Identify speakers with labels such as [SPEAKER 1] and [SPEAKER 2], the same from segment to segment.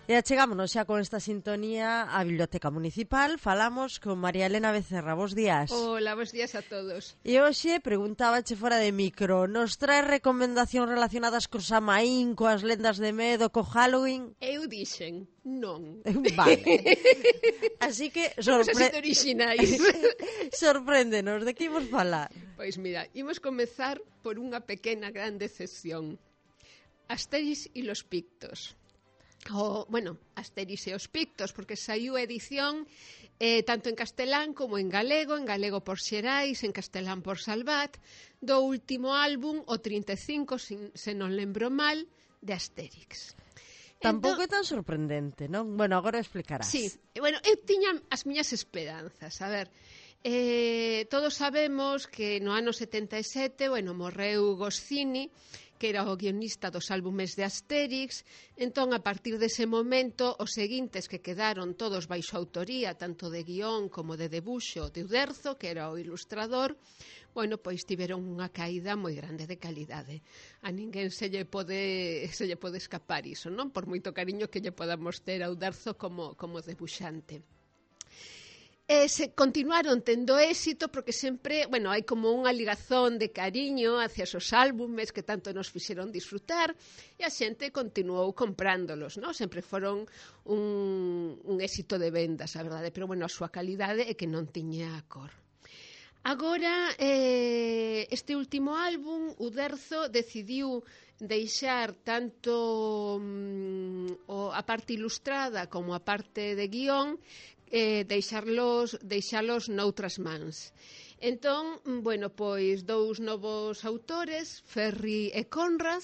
[SPEAKER 1] E achegámonos xa con esta sintonía á Biblioteca Municipal. Falamos con María Elena Becerra. Bos días.
[SPEAKER 2] Hola, bos días a todos.
[SPEAKER 1] E hoxe preguntábache fora de micro, nos traes recomendacións relacionadas co Samaín, coas lendas de medo, co Halloween?
[SPEAKER 2] Eu dixen, non.
[SPEAKER 1] Vale. Así que
[SPEAKER 2] Somos así de originais.
[SPEAKER 1] Sorpréndenos, de que imos falar?
[SPEAKER 2] Pois mira, imos comezar por unha pequena gran decepción. Asterix e los Pictos. Asterix e os Pictos, porque saiu a edición tanto en castelán como en galego por Xerais, en castelán por Salvat, do último álbum, o 35, se non lembro mal, de Asterix.
[SPEAKER 1] Tampouco é tan sorprendente, non? Bueno, agora explicarás.
[SPEAKER 2] Sí, bueno, eu tiña as miñas esperanzas. A ver, todos sabemos que no ano 77, morreu Goscinny, que era o guionista dos álbumes de Asterix. Entón, a partir dese momento, os seguintes que quedaron todos baixo autoría, tanto de guión como de debuxo de Uderzo, que era o ilustrador, pois tiveron unha caída moi grande de calidade. A ninguén se lle pode escapar iso, non? Por moito cariño que lle podamos ter a Uderzo como debuxante. Se continuaron tendo éxito porque sempre, hai como unha ligazón de cariño hacia esos álbumes que tanto nos fixeron disfrutar e a xente continuou comprándolos, non? Sempre foron un éxito de vendas, a verdade, pero a súa calidade é que non tiña cor. Agora, este último álbum, Uderzo decidiu deixar tanto a parte ilustrada como a parte de guión, deixalos noutras mans. Entón, pois dous novos autores, Ferri e Conrad,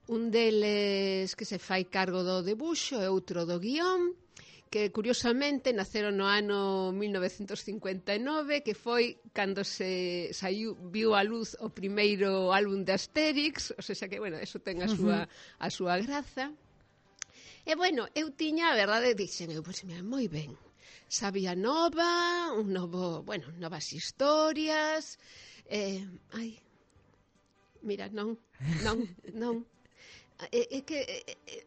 [SPEAKER 2] un deles que se fai cargo do debuxo e outro do guión, que curiosamente naceron no ano 1959, que foi cando se viu a luz o primeiro álbum de Asterix, o sea que, eso ten a súa graza. E, eu tiña, a verdade, dixen, moi ben, sabía nova, novas historias, non. É que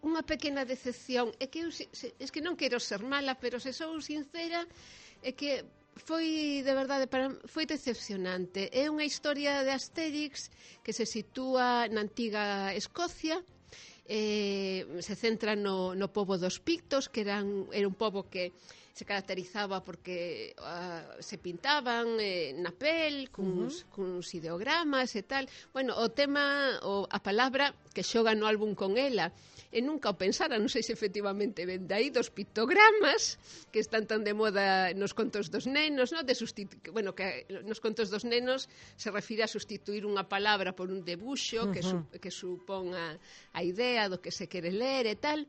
[SPEAKER 2] unha pequena decepción, é que non quero ser mala, pero se sou sincera, é que foi, de verdade, foi decepcionante. É unha historia de Asterix que se sitúa na antiga Escocia, se centra no pobo dos Pictos, que era un pobo que se caracterizaba porque se pintaban na pel, cuns ideogramas e tal. O tema, a palabra que xoga no álbum con ela, e nunca o pensara, non sei se efectivamente ven de aí, dos pictogramas, que están tan de moda nos contos dos nenos, non? Que nos contos dos nenos se refire a sustituir unha palabra por un debuxo que supón a idea do que se quere ler e tal.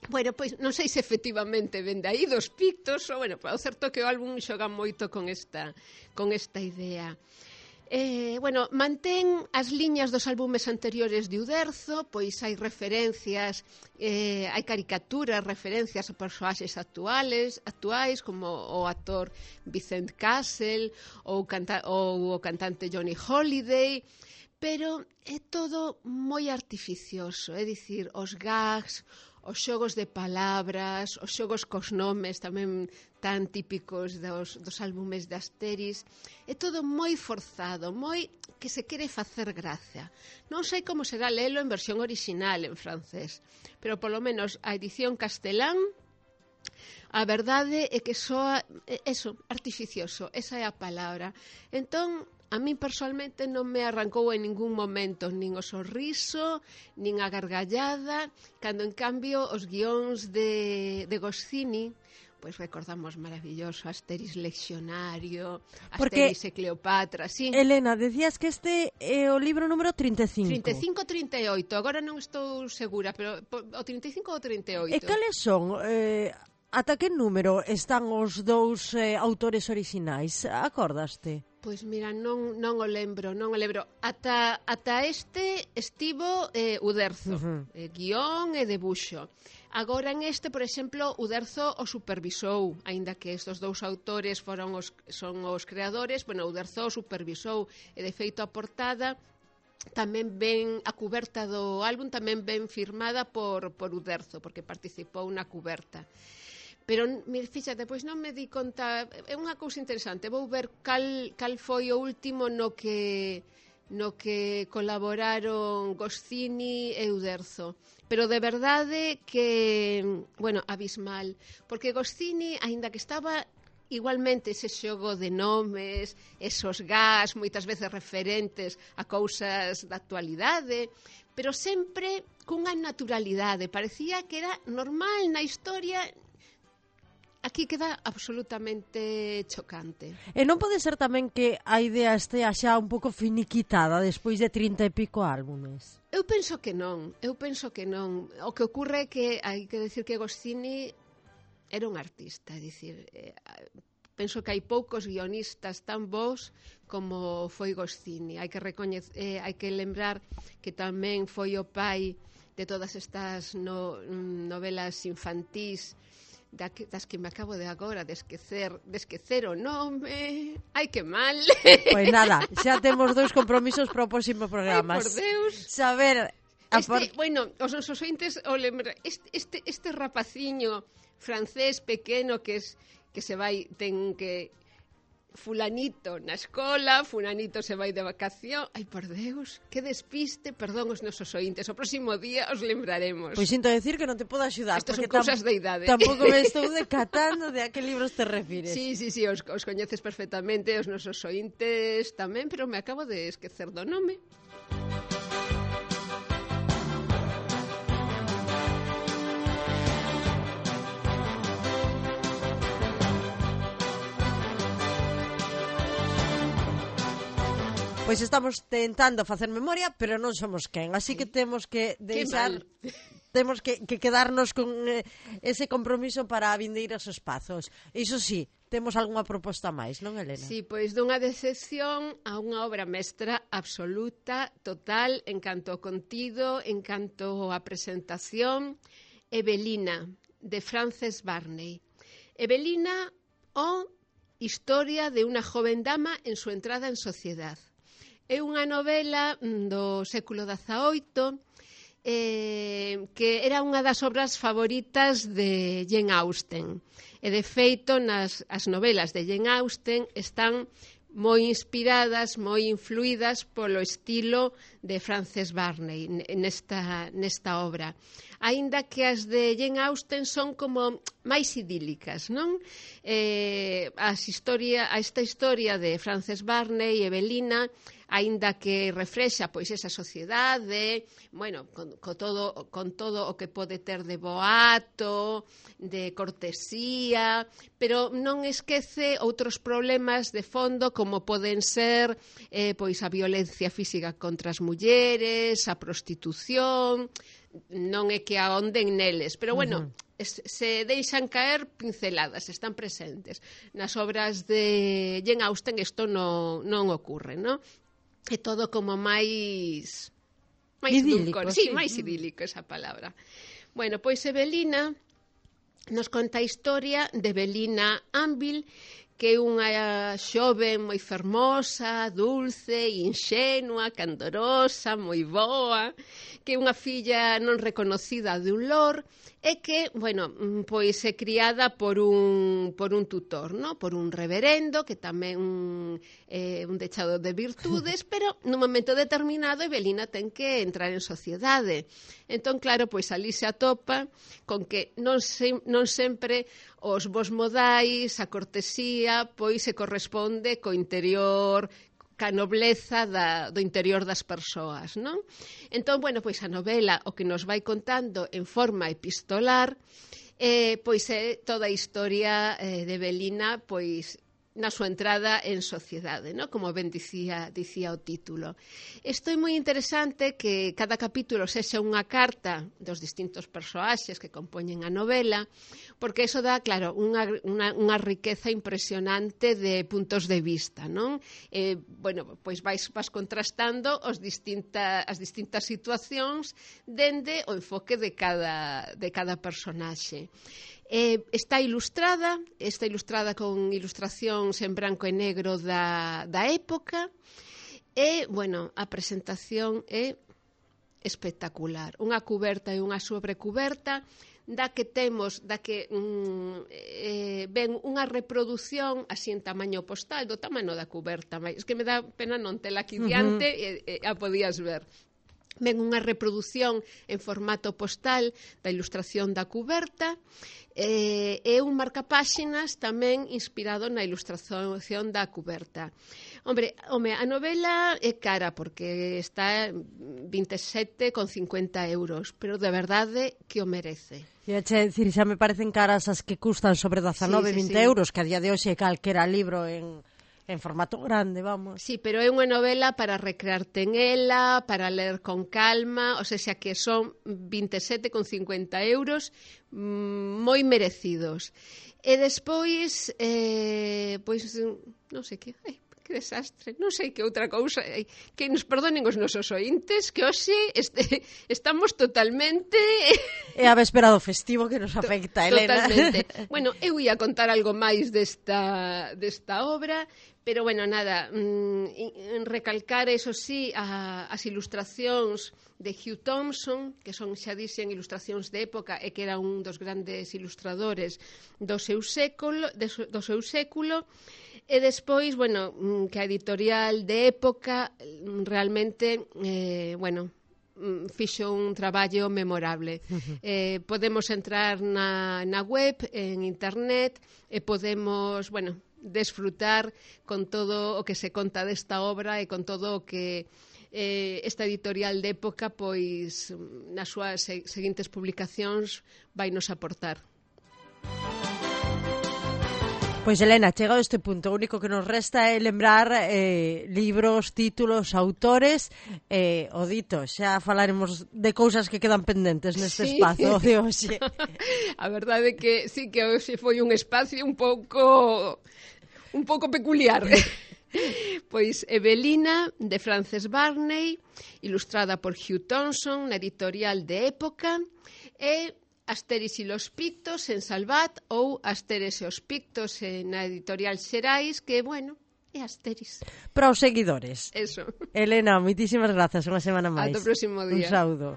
[SPEAKER 2] Pois non sei se efectivamente ven de aí dos Pictos, o certo que o álbum xoga moito con esta idea. Mantén as liñas dos álbumes anteriores de Uderzo, pois hai referencias, hai caricaturas, referencias a persoaxes actuais, como o actor Vincent Cassel ou o cantante Johnny Holiday, pero é todo moi artificioso, é dicir, os gags, os xogos de palabras, os xogos cos nomes tamén tan típicos dos álbumes de Asterix, é todo moi forzado, moi que se quere facer gracia. Non sei como será lelo en versión original en francés, pero polo menos a edición castelán, a verdade é que soa artificioso, esa é a palabra. Entón, a min personalmente non me arrancou en ningún momento nin o sorriso, nin a gargallada, cando en cambio os guións de Goscinny, pois recordamos maravilloso Asterix Leccionario, Asterix e Cleopatra, sí.
[SPEAKER 1] Elena, decías que este é o libro número 35.
[SPEAKER 2] 35-38, agora non estou segura, pero o 35 ou 38.
[SPEAKER 1] E cales son? Ata que número están os dous autores orixinais? Acordaste?
[SPEAKER 2] Pois mira, non o lembro. Ata este estivo Uderzo, guión e debuxo. Agora en este, por exemplo, Uderzo o supervisou, aínda que estes dous autores son os creadores, Uderzo o supervisou, e de feito a portada tamén ven a cuberta do álbum tamén ven firmada por Uderzo, porque participou na cuberta. Pero, fíxate, pois non me di conta, é unha cousa interesante, vou ver cal foi o último no que colaboraron Goscinny e Uderzo. Pero de verdade que, bueno, abismal, porque Goscinny, aínda que estaba igualmente ese xogo de nomes, esos gas, moitas veces referentes a cousas da actualidade, pero sempre cunha naturalidade. Parecía que era normal na historia. Aquí queda absolutamente chocante.
[SPEAKER 1] E non pode ser tamén que a idea estea xa un pouco finiquitada despois de 30 e pico álbumes?
[SPEAKER 2] Eu penso que non. O que ocorre é que hai que decir que Goscinny era un artista, é dicir, penso que hai poucos guionistas tan bons como foi Goscinny. Hai que lembrar que tamén foi o pai de todas estas novelas infantís das que me acabo de agora de esquecer o nome. Ai, que mal.
[SPEAKER 1] Pois nada, xa temos 2 compromisos para o próximo programa.
[SPEAKER 2] Ai, por Deus.
[SPEAKER 1] Saber...
[SPEAKER 2] Bueno, os nosos ointes o lembra, este rapaciño francés pequeno que se vai, ten que fulanito na escola, fulanito se vai de vacación. Ai, por Deus, que despiste. Perdón os nosos ointes, o próximo día os lembraremos.
[SPEAKER 1] Pois sinto decir que non te podo axudar.
[SPEAKER 2] Estas son cousas de idade.
[SPEAKER 1] Tampouco me estou decatando de a que libros te refires.
[SPEAKER 2] Sí, os coñeces perfectamente, os nosos ointes tamén, pero me acabo de esquecer do nome.
[SPEAKER 1] Pois estamos tentando facer memoria, pero non somos quen, así que temos que deixar, temos que quedarnos con ese compromiso para vindeiros espazos. Iso sí, temos algunha proposta máis, non, Elena?
[SPEAKER 2] Sí, pois dunha decepción a unha obra mestra absoluta, total, en canto ao contido, en canto á presentación. Evelina, de Frances Burney. Evelina, o historia de unha joven dama en su entrada en sociedad. É unha novela do século XVIII que era unha das obras favoritas de Jane Austen. E, de feito, as novelas de Jane Austen están moi inspiradas, moi influídas polo estilo de Frances Burney nesta obra. Aínda que as de Jane Austen son como máis idílicas, non? Esta historia de Frances Burney e Evelina, aínda que reflexa pois esa sociedade, bueno, con todo o que pode ter de boato, de cortesía, pero non esquece outros problemas de fondo como poden ser pois a violencia física contra as mulleres, a prostitución. Non é que ahonden neles, pero bueno, se deixan caer pinceladas, están presentes. Nas obras de Jane Austen isto non ocurre, non? É todo como máis
[SPEAKER 1] idílico,
[SPEAKER 2] sí, máis idílico esa palabra. Bueno, pois Evelina nos conta a historia de Evelina Anvil, que é unha xoven moi fermosa, dulce, inxenua, candorosa, moi boa, que é unha filla non reconocida de un lord, e que, bueno, pois é criada por un tutor, ¿no? Por un reverendo, que tamén é un dechado de virtudes, pero nun momento determinado Evelina ten que entrar en sociedade. Entón, claro, pois ali se atopa con que non sempre os bons modais, a cortesía, pois se corresponde co interior, ca nobleza do interior das persoas, non? Entón, bueno, pois a novela o que nos vai contando en forma epistolar, pois é toda a historia de Evelina, pois na súa entrada en sociedade, ¿no? Como ben dicía o título. Isto é moi interesante que cada capítulo sexa unha carta dos distintos persoaxes que compoñen a novela, porque iso dá, claro, unha riqueza impresionante de puntos de vista, non? Bueno, pois vas contrastando as distintas situacións dende o enfoque de cada personaxe. Está ilustrada con ilustracións en branco e negro da época, E, bueno, a presentación é espectacular. Unha cuberta e unha sobrecuberta da que ven unha reproducción así en tamaño postal, do tamaño da cuberta, mas que me dá pena non tela aquí diante, a podías ver. Ven unha reproducción en formato postal da ilustración da cuberta, e un marcapáxinas tamén inspirado na ilustración da cuberta. Home, a novela é cara porque está 27,50 €, pero de verdade que o merece.
[SPEAKER 1] E che dicir, xa me parecen caras as que custan sobre 19-20 €, que a día de hoxe calquera libro en formato grande, vamos.
[SPEAKER 2] Sí, pero é unha novela para recrearte en ela, para ler con calma, o sea, que son 27,50 €, moi merecidos. E despois, pois, non sei que... que desastre, non sei que outra cousa, que nos perdonen os nosos ointes, que hoxe estamos totalmente...
[SPEAKER 1] É a véspera do festivo que nos afecta, Elena.
[SPEAKER 2] Totalmente. Bueno, eu ia contar algo máis desta obra, pero, bueno, nada, recalcar, eso sí, as ilustracións de Hugh Thompson, que son, xa dixen, ilustracións de época, e que era un dos grandes ilustradores do seu século, e despois, bueno, que a editorial de época realmente, bueno, fixo un traballo memorable. Podemos entrar na web, en internet, e podemos, bueno, desfrutar con todo o que se conta desta obra e con todo o que esta editorial de época, pois, nas súas seguintes publicacións vai nos aportar.
[SPEAKER 1] Pois, Elena, chegado a este punto, o único que nos resta é lembrar libros, títulos, autores, o dito, xa falaremos de cousas que quedan pendentes neste espazo de hoxe.
[SPEAKER 2] A verdade é que sí que hoxe foi un espacio un pouco peculiar. Pois Evelina, de Frances Barney, ilustrada por Hugh Thompson, na editorial de época, e Asteris e los Pictos en Salvat, ou Asteres e os Pictos na editorial Xerais, que, bueno, é Asteris.
[SPEAKER 1] Para os seguidores.
[SPEAKER 2] Eso.
[SPEAKER 1] Elena, moitísimas grazas, unha semana máis.
[SPEAKER 2] Ata o próximo día.
[SPEAKER 1] Un saúdo.